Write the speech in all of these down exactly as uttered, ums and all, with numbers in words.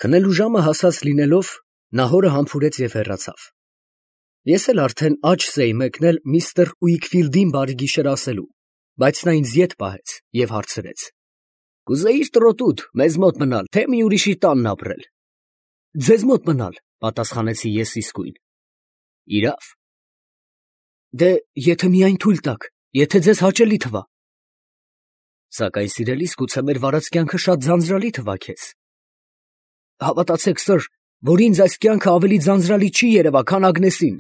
Քնելու ժամը հասած լինելով, նա հորը համբուրեց և հեռացավ։ Ես էլ արդեն աչքս էի մեկնել միստր Ուիքֆիլդին բարի գիշեր ասելու, բայց նա ինձ ետ պահեց և հարցրեց. «Կուզեիր տրոտուդ մեզ մոտ մնալ, թե մի ուրիշի տանն ապրել»։ «Ձեզ մոտ մնալ», պատասխանեցի ես իսկույն։ «Իրավ»։ «Դե եթե միայն թույլ տաք, եթե ձեզ հաճելի թվա»։ «Սակայն սիրելիս, գուցե մեր վարած կյանքը շատ ձանձրալի թվա քեզ»։ «Հավատացեք, սըր, որ ինձ այս կյանքը ավելի ձանձրալի չի երևա, քան Ագնեսին»։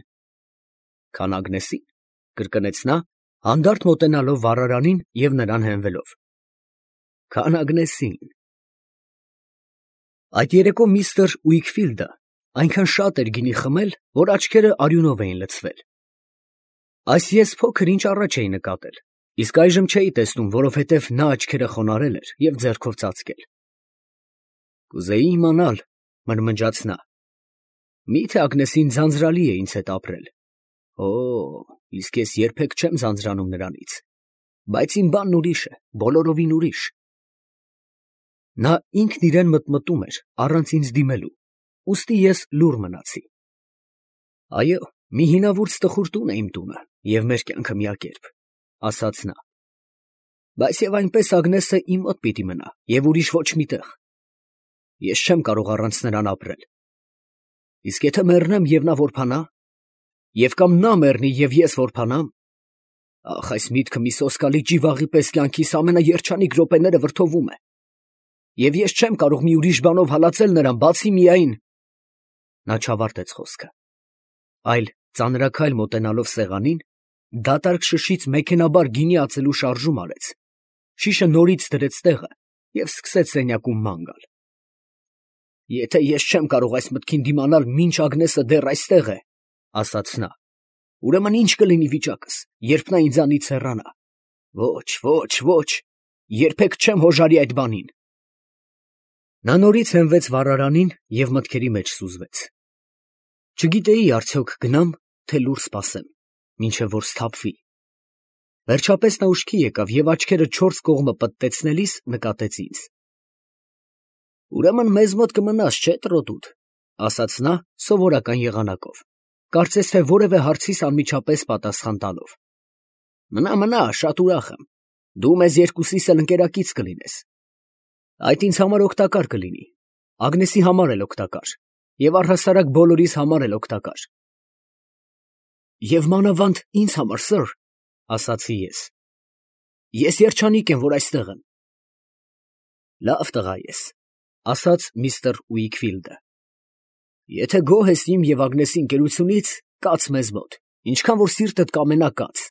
«Քան Ագնեսին», կրկնեց նա, հանդարտ մոտենալով վառարանին և նրան հենվելով։ «Քան Ագնեսին»։ Այդ երեկո միստր Ուիքֆիլդը այնքան շատ էր գինի խմել, որ աչքերը արյունով էին լցվել։ Այս ես փոքր ինչ առաջ էի նկատել, իսկ այժմ չէի տեսնում, որովհետև նա աչքերը խոնարհել էր և ձեռքով ծածկել։ «Կուզեի իմանալ», մրմնջաց նա, «միթե Ագնեսին ձանձրալի է ինձ հետ ապրել։ Օ, իսկ ես երբեք չեմ ձանձրանում նրանից, բայց իմ բանն ուրիշ է, բոլորովին ուրիշ»։ Նա ինքն իրան մտմտում էր առանց ինձ դիմելու, ուստի ես լուռ մնացի։ «Այո, մի հինավուրց տխուր տուն է իմ տունը, և մեր կյանքը միակերպ», ասաց նա։ «Բայց և այնպես Ագնեսը իմ մոտ պիտի մնա և ուրիշ ոչ մի տեղ։ Ես չեմ կարող առանց նրան ապրել։ Իսկ եթե մեռնեմ, և նա որբանա, և կամ նա մեռնի, և ես որբանամ, ախ, այս միտքը մի սոսկալի ճիվաղի պես կյանքիս ամենաերջանիկ րոպեները վրդովում է, և ես չեմ կարող մի ուրիշ բանով հալածել նրան, բացի միայն…» Նա չավարտեց խոսքը, այլ ծանրաքայլ մոտենալով սեղանին, դատարկ շշից մեքենայաբար գինի ածելու շարժում արեց, շիշը նորից դրեց տեղը և սկսեց սենյակում ման գալ։ «Եթե ես չեմ կարող այս մտքին դիմանալ, մինչ Ագնեսը դեռ այստեղ է, ֊ ասաց նա, ֊ ուրեմն ի՞նչ կլինի վիճակս, երբ նա ինձանից հեռանա։ Ոչ, ոչ, ոչ, երբեք չեմ հոժարի այդ բանին»։ Նա նորից հենվեց վառարանին և մտքերի մեջ սուզվեց։ Չգիտեի արդյոք գնամ, թե լուռ սպասեմ, մինչև որ սթափվի։ Վերջապես նա ուշքի եկավ և աչքերը չորս կողմը պտտեցնելիս նկատեց ինձ։ «Ուրեմն մեզ մոտ կմնաս, չէ՞, տրոտուդ», ֊ ասաց նա սովորական եղանակով, կարծես թե որևէ հարցիս անմիջապես պատասխան տալով։ «Մնա, մնա, շատ ուրախ եմ, դու մեզ երկուսիս էլ ընկերակից կլինես։ Այդ ինձ համար օգտակար կլինի, Ագնեսի համար էլ օգտակար, և առհասարակ բոլորիս համար էլ օգտակար»։ «Եվ մանավանդ ինձ համար, սըր, ֊ ասացի ես, ֊ ես երջանիկ եմ, որ այստեղ եմ»։ «Լավ տղա ես, ֊ ասաց միստր Ուիքֆիլդը, ֊ եթե գոհ ես իմ և Ագնեսի ընկերությունից, կաց մեզ մոտ, ինչքան որ սիրտդ կամենա, կաց»։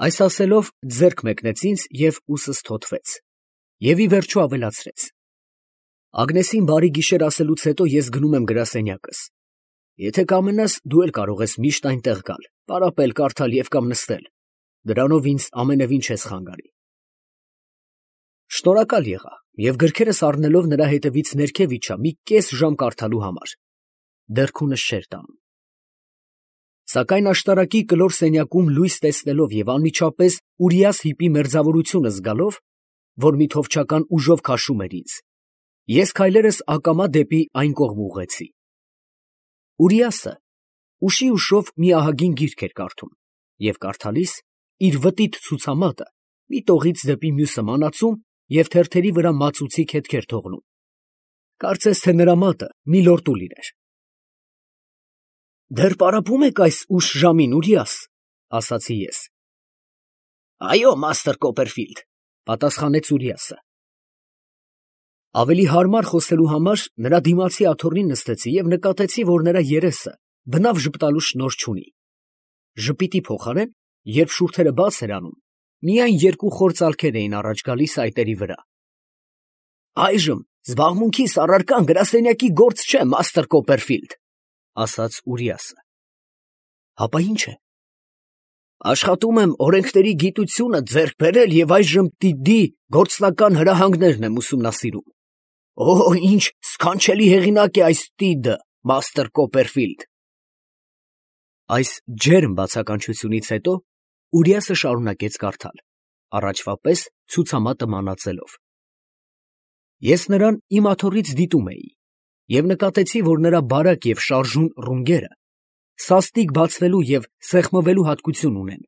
Այս ասելով ձեռք մեկնեց ինձ և ուսս թոթվեց, և ի վերջո ավելացրեց. «Ագնեսին բարի գիշեր ասելուց հետո ես գնում եմ գրասենյակս. եթե կամենաս, դու էլ կարող ես միշտ այնտեղ գալ, պարապել, կարդալ և կամ նստել, դրանով ինձ ամենևին չես խանգարի»։ Շնորհակալ եղա և գրքերս առնելով նրա հետևից ներքև իջա մի կես ժամ կարդալու համար, դեռ քունս չէր տանում։ Սակայն աշտարակի կլոր սենյակում լույս տեսնելով և անմիջապես Ուրիաս հիպի մերձավորությունը զգալով, որ մի թովչական ուժով քաշում էր ինձ, ես քայլերս ակամա դեպի այն կողմ ուղղեցի։ Ուրիասը ուշի ուշով մի ահագին գիրք էր կարդում և կարդալիս իր վտիտ ցուցամատը մի տողից դեպի մյուսը մանացում և թերթերի վրա մածուցիկ հետքեր թողնում, կարծես թե նրա մատը միլորտու լիներ։ «Դեռ պարապում եք այս ուշ ժամին, Ուրիաս, ֊ ասացի ես։ ֊ Այո, մաստր Կոպերֆիլդ, ֊ պատասխանեց Ուրիասը։ Ավելի հարմար խոսելու համար նրա դիմացի աթոռին նստեցի և նկատեցի, որ նրա երեսը բնավ ժպտալու շնորհ չունի։ Ժպիտի փոխարեն, երբ շուրթերը բաց էր անում, միայն երկու խոր ծալքեր էին առաջ գալիս այտերի վրա։ «Այժմ զբաղմունքիս առարկան գրասենյակի գործ չէ, մաստր Կոպերֆիլդ, ֊ ասաց Ուրիասը։ ֊ Հապա ի՞նչ է։ ֊ Աշխատում եմ օրենքների գիտությունը ձեռք բերել և այժմ տիդի գործնական հրահանգներն եմ ուսումնասիրում։ Օ, ինչ սքանչելի հեղինակ է այս տիդը, մաստր Կոպերֆիլդ։ Այս ջերմ բացականչությունից հետո Ուրիասը շարունակեց կարդալ, առաջվա պես ցուցամատը մանածելով։ Ես նրան իմ աթոռից դիտում էի և նկատեցի, որ նրա բարակ և շարժուն ռունգերը սաստիկ բացվելու և սեղմվելու հատկություն ունեն,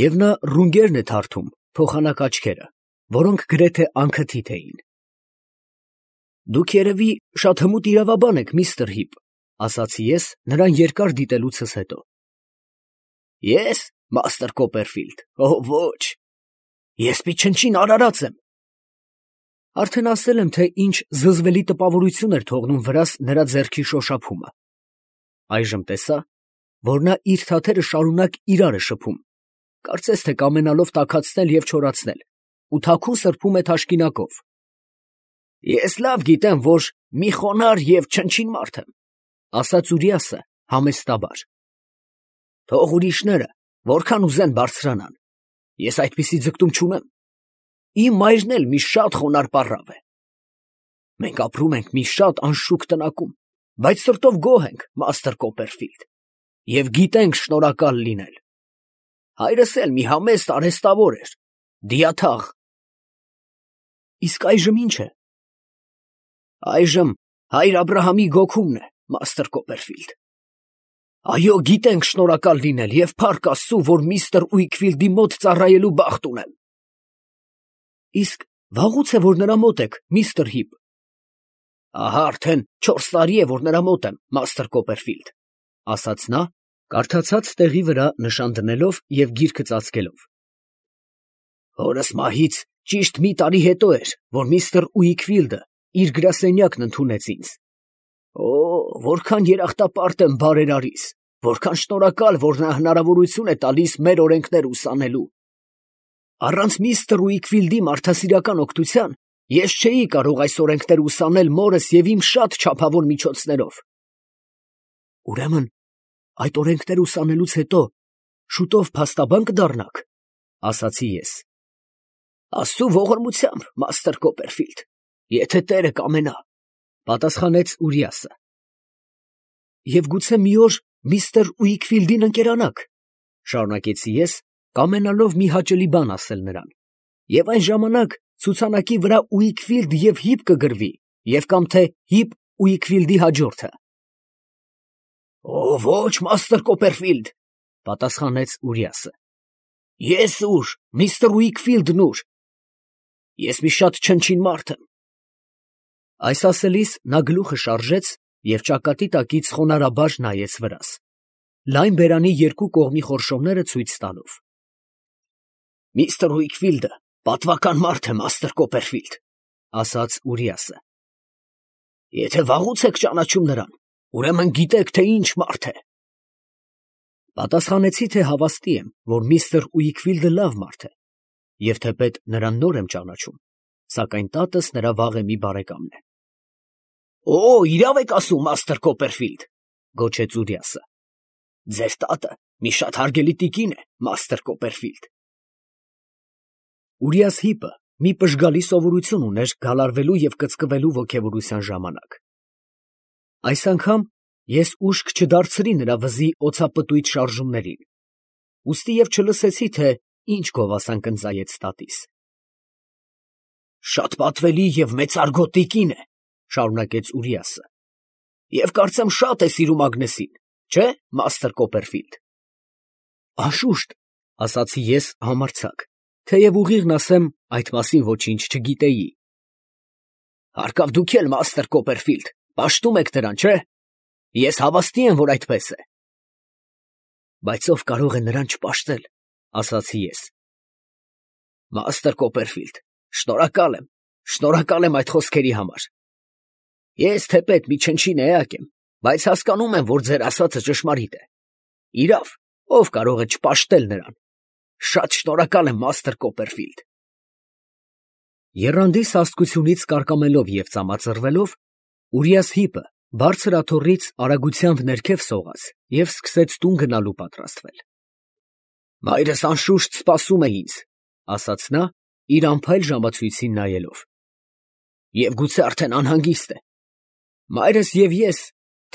և նա ռունգերն է թարթում փոխանակ աչքերը, որոնք գրեթե անքթիթ էին։ ֊ Դուք երևի շատ հմուտ իրավաբան եք, միստր Հիպ, ֊ ասացի ես նրան երկար դիտելուցս հետո։ ֊ Ե՞ս, մաստր Կոպերֆիլդ, օ ոչ, ես մի չնչին արարած եմ։ Արդեն ասել եմ, թե ինչ զզվելի տպավորություն էր թողնում վրաս նրա ձեռքի շոշափումը. այժմ տեսա, որ նա իր թաթերը շարունակ իրար է շփում, կարծես թե կամենալով տաքացնել և չորացնել, ու թաքուն սրբում է թաշկինակով։ Ես լավ գիտեմ, որ մի խոնարհ և չնչին մարդ եմ, ֊ ասաց Ուրիասը համեստաբար։ Թող ուրիշները որքան ուզեն բարձրանան, ես այդպիսի ձգտում չունեմ։ Իմ մայրն էլ մի շատ խոնարհ պառավ է։ Մենք ապրում ենք մի շատ անշուք տնակում, բայց սրտով գոհ ենք, մաստր Կոպերֆիլդ, և գիտենք շնորհակալ լինել։ Հայրս էլ մի համեստ արհեստավոր էր, դիաթաղ։ Իսկ այժմ ի՞նչ է։ Այժմ հայր Աբրահամի գոգումն է, մաստր Կոպերֆիլդ։ Այո, գիտենք շնորհակալ լինել և փառք Աստծու, որ միստր Ուիքֆիլդի մոտ ծառայելու բախտ ունեմ։ Իսկ վաղուց է, որ նրա մոտ եք, միստր Հիպ։ Ահա արդեն չորս տարի է, որ նրա մոտ եմ, մաստր Կոպերֆիլդ, ֊ ասաց նա, կարդացած տեղի վրա նշան դնելով և գիրքը ծածկելով։ Հորս մահից ճիշտ մի տարի հետո էր, որ միստր Ուիքֆիլդը իր գրասենյակն ընդունեց ինձ։ Օ, որքան երախտապարտ եմ բարերարիս, որքան շնորհակալ, որ նա հնարավորություն է տալիս մեր օրենքները ուսանելու։ Առանց միստր Ուիքֆիլդի մարդասիրական օգնության ես չէի կարող այս օրենքները ուսանել մորս և իմ շատ չափավոր միջոցներով։ Ուրեմն այդ օրենքները ուսանելուց հետո շուտով փաստաբան կդառնաք, ֊ ասացի ես։ Աստծու ողորմությամբ, մաստր Կոպերֆիլդ, եթե Տերը կամենա, ֊ պատասխանեց Ուրիասը։ Եվ գուցե մի օր միստր Ուիքֆիլդին ընկերանաք, ֊ շարունակեցի ես, կամենալով մի հաճելի բան ասել նրան, և այն ժամանակ ցուցանակի վրա Ուիքֆիլդ և Հիպ կգրվի, և կամ թե Հիպ Ուիքֆիլդի հաջորդը։ Օ ոչ, մաստր Կոպերֆիլդ, ֊ պատասխանեց Ուրիասը։ Ես ուր, միստր Ուիքֆիլդն ուր։ Ես մի շատ չնչին մարդ եմ։ Այս ասելիս նա գլուխը շարժեց և ճակատի տակից խոնարհաբար նայեց վրաս, լայն բերանի երկու կողմի խորշոմները ցույց տալով։ Միստր Ուիքֆիլդը պատվական մարդ է, մաստր Կոպերֆիլդ, ֊ ասաց Ուրիասը։ Եթե վաղուց եք ճանաչում նրան, ուրեմն գիտեք, թե ինչ մարդ է։ Պատասխանեցի, թե հավաստի եմ, որ միստր Ուիքֆիլդը լավ մարդ է, և թեպետ նրան նոր եմ ճանաչում, սակայն տատս նրա վաղեմի բարեկամն է։ Օ, իրավ եք ասում, մաստր Կոպերֆիլդ, ֊ գոչեց Ուրիասը։ Ձեր տատը մի շատ հարգելի տիկին է, մաստր Կոպերֆիլդ։ Ուրիաս Հիպը մի պժգալի սովորություն ուներ գալարվելու և կծկվելու ոգևորության ժամանակ։ Այս անգամ ես ուշք չդարձրի նրա վզի օձապտույտ շարժումներին, ուստի և չլսեցի, թե ինչ գովասան կնծայեց տատիս։ Շատ պատվելի և մեծարգո տիկին է, ֊ շարունակեց Ուրիասը, և կարծեմ շատ է սիրում Ագնեսին, չէ՞, մաստր Կոպերֆիլդ։ Անշուշտ, ֊ ասացի ես համարձակ, թեև ուղիղն ասեմ, այդ մասին ոչինչ չգիտեի։ Հարկավ դուք էլ, մաստր Կոպերֆիլդ, պաշտում եք նրան, չէ՞։ Ես հավաստի եմ, որ այդպես է։ Բայց ով կարող է նրան չպաշտել, ֊ ասացի ես։ Մաստր Կոպերֆիլդ, շնորհակալ եմ, շնորհակալ եմ այդ խոսքերի համար։ Ես թեպետ մի չնչին էակ եմ, բայց հասկանում եմ, որ ձեր ասածը ճշմարիտ է։ Իրավ, ով կարող է չպաշտել նրան։ Շատ շնորհակալ եմ, մաստր Կոպերֆիլդ։ Եռանդի սաստկությունից կարկամելով և ծամածռվելով, Ուրիաս Հիպը բարձր աթոռից արագությամբ ներքև սողաց և սկսեց տուն գնալու պատրաստվել։ Մայրս անշուշտ սպասում է ինձ, ֊ ասաց նա, իր անփայլ ժամացույցին նայելով, և գուցե արդեն անհանգիստ է։ Մայրս և ես,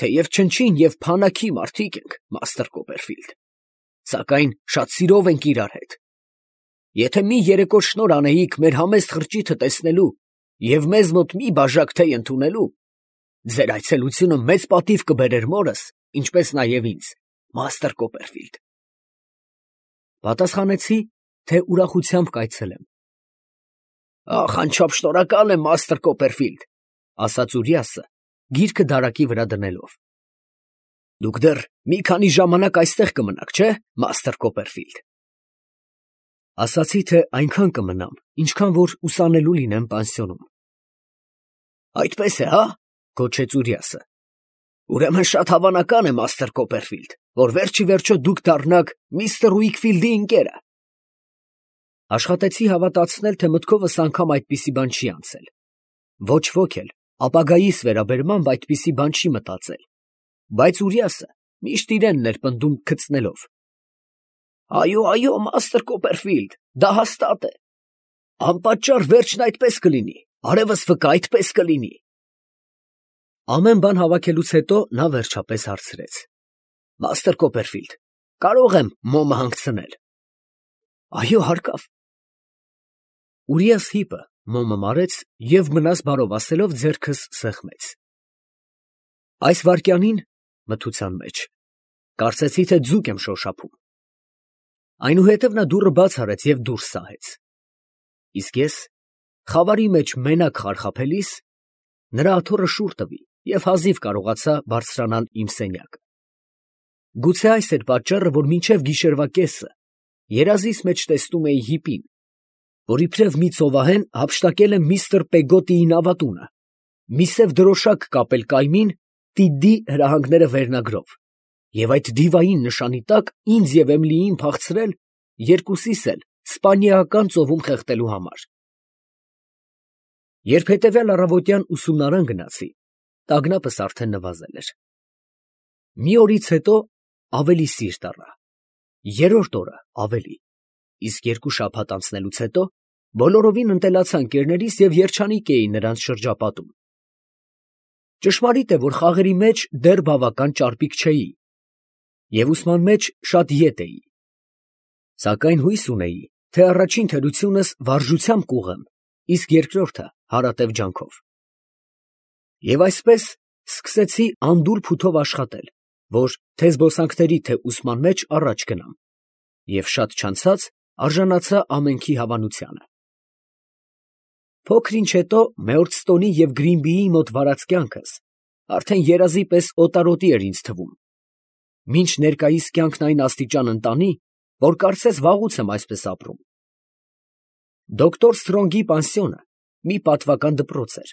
թեև չնչին և փանաքի մարդիկ ենք, մաստր Կոպերֆիլդ, սակայն շատ սիրով ենք իրար հետ։ Եթե մի երեկո շնորհ անեիք մեր համեստ խրճիթը տեսնելու և մեզ մոտ մի բաժակ թեյ ընդունելու, ձեր այցելությունը մեծ պատիվ կբերեր մորս, ինչպես նաև ինձ, մաստր Կոպերֆիլդ։ Պատասխանեցի, թե ուրախությամբ կայցելեմ։ Ախ, անչափ շնորհակալ եմ, մաստր Կոպերֆիլդ, ասաց Ուրիասը, գիրքը դարակի վրա դնելով։ Դուք դեռ մի քանի ժամանակ այստեղ կմնաք, չէ՞, մաստր Կոպերֆիլդ։ Ասացի, թե այնքան կմնամ, ինչքան որ ուսանելու լինեմ պանսիոնում։ Այդպես է, հա, գոչեց Ուրիասը։ Ուրեմն շատ հավանական է, մաստր Կոպերֆիլդ, որ վերջի վերջո դուք դառնաք միստր Ուիքֆիլդի ընկերը։ Աշխատեցի հավատացնել, թե մտքովս անգամ այդպիսի բան չի անցել։ Ոչ ոք էլ ապագայիս վերաբերմամբ այդպիսի բան չի մտածել, բայց Ուրիասը միշտ իրենն էր պնդում քծնելով։ Այո, այո, մաստր Կոպերֆիլդ, դա հաստատ է։ Անպատճառ վերջն այդպես կլինի, արևս վկա այդպես կլինի։ Ամեն բան հավաքելուց հետո նա վերջապես հարցրեց. Մաստր Կոպերֆիլդ, կարո՞ղ եմ մոմը հանգցնել։ Այո, հարկավ։ Ուրիաս հիպը մոմը մարեց և մնաս բարով ասելով ձեռքս սեղմեց։ Այս վայրկյանին, մթության մեջ, կարծեցի, թե ձուկ եմ շոշափում։ Այնուհետև նա դուռը բաց արեց և դուրս սահեց։ Իսկ ես, խավարի մեջ մենակ խարխափելիս, նրա աթոռը շուռ տվի և հազիվ կարողացա բարձրանալ իմ սենյակը։ Գուցե այս էր պատճառը, որ մինչև գիշերվա կեսը երազիս մեջ տեսնում էի հիպին, որ իբրև մի ծովահեն հափշտակել է միստր Պեգոտիի նավատունը, մի սև դրոշակ կապել կայմին Տիդի հրահանգները վերնագրով, և այդ դիվային նշանի տակ ինձ և Էմիլիին փախցրել երկուսիս էլ Սպանիայական ծովում խեղդելու համար։ Երբ հետևյալ առավոտյան ուսումնարան գնացի, տագնապս արդեն նվազել էր։ Մի օրից հետո ավելի սիրտ առա, երրորդ օրը ավելի, իսկ երկու շաբաթ անցնելուց հետո բոլորովին ընտելացա ընկերներիս և երջանիկ էի նրանց շրջապատում։ Ճշմարիտ է, որ խաղերի մեջ դեռ բավական ճարպիկ չէի և ուսման մեջ շատ ետ էի, սակայն հույս ունեի, թե առաջին թերությունս վարժությամբ կուղղեմ, իսկ երկրորդը հարատև ջանքով։ Եվ այսպես սկսեցի անդուր փութով աշխատել, որ թե զբոսանքների, թե ուսման մեջ առաջ գնամ, և շատ չանցած արժանացա ամենքի հավանությանը։ Փոքր ինչ հետո Մեորդստոնի և Գրինբիի մոտ վարած կյանքս արդեն երազի պես օտարոտի էր ինձ թվում, մինչ ներկայիս կյանքն այն աստիճան ընտանի, որ կարծես վաղուց եմ այսպես ապրում։ Դոկտոր Սթրոնգի պանսիոնը մի պատվական դպրոց էր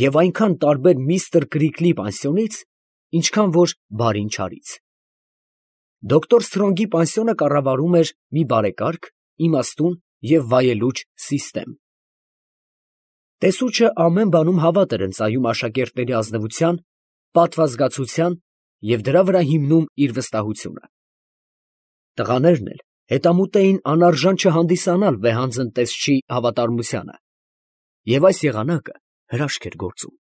և այնքան տարբեր միստր Կրիկլի պանսիոնից, ինչքան որ Բարին չարից։ Դոկտոր Սթրոնգի պանսիոնը կառավարում էր մի բարեկարգ, իմաստուն և վայելուչ սիստեմ։ Տեսուչը ամեն բանում հավատ էր ընծայում աշակերտների ազնվության, պատվազգացության և դրա վրա հիմնում իր վստահությունը։ Տղաներն էլ հետամուտ էին անարժան չհանդիսանալ վեհանձն տեսչի հավատարմությանը, և այս եղանակը հրաշք էր գործում։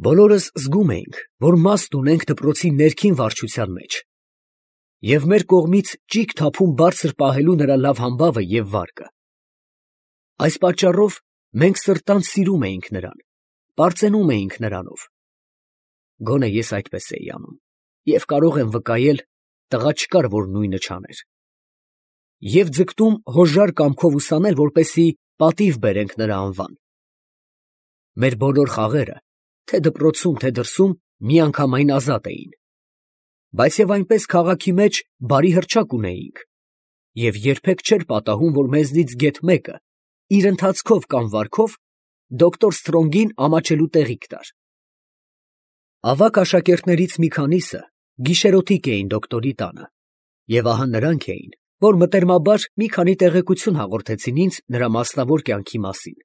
Բոլորս զգում էինք, որ մաստ ունենք դպրոցի ներքին վարչության մեջ, և մեր կողմից ճիգ թափում բարձր պահելու նրա լավ համբավը և վարկը։ Այս պատճառով մենք սրտանց սիրում էինք նրան, պարծենում էինք նրանով։ Գոնե ես այդպես էի անում, և կարող եմ վկայել, տղա չկար, որ նույնը չաներ։ Եվ ձգտում հոժար կամքով ուսանել, որպեսզի պատիվ բերենք նրա անվան։ Մեր բոլոր խաղերը, թե դպրոցում, թե դրսում, միանգամայն ազատ էին, բայց և այնպես քաղաքի մեջ բարի հռչակ ունեինք, և երբեք չէր պատահում, որ մեզնից գեթ մեկը իր ընթացքով կամ վարքով դոկտոր Սթրոնգին ամաչելու տեղիք տար։ Ավագ աշակերտներից մի քանիսը գիշերօթիկ էին դոկտորի տանը, և ահա նրանք էին, որ մտերմաբար մի քանի տեղեկություն հաղորդեցին ինձ նրա մասնավոր կյանքի մասին։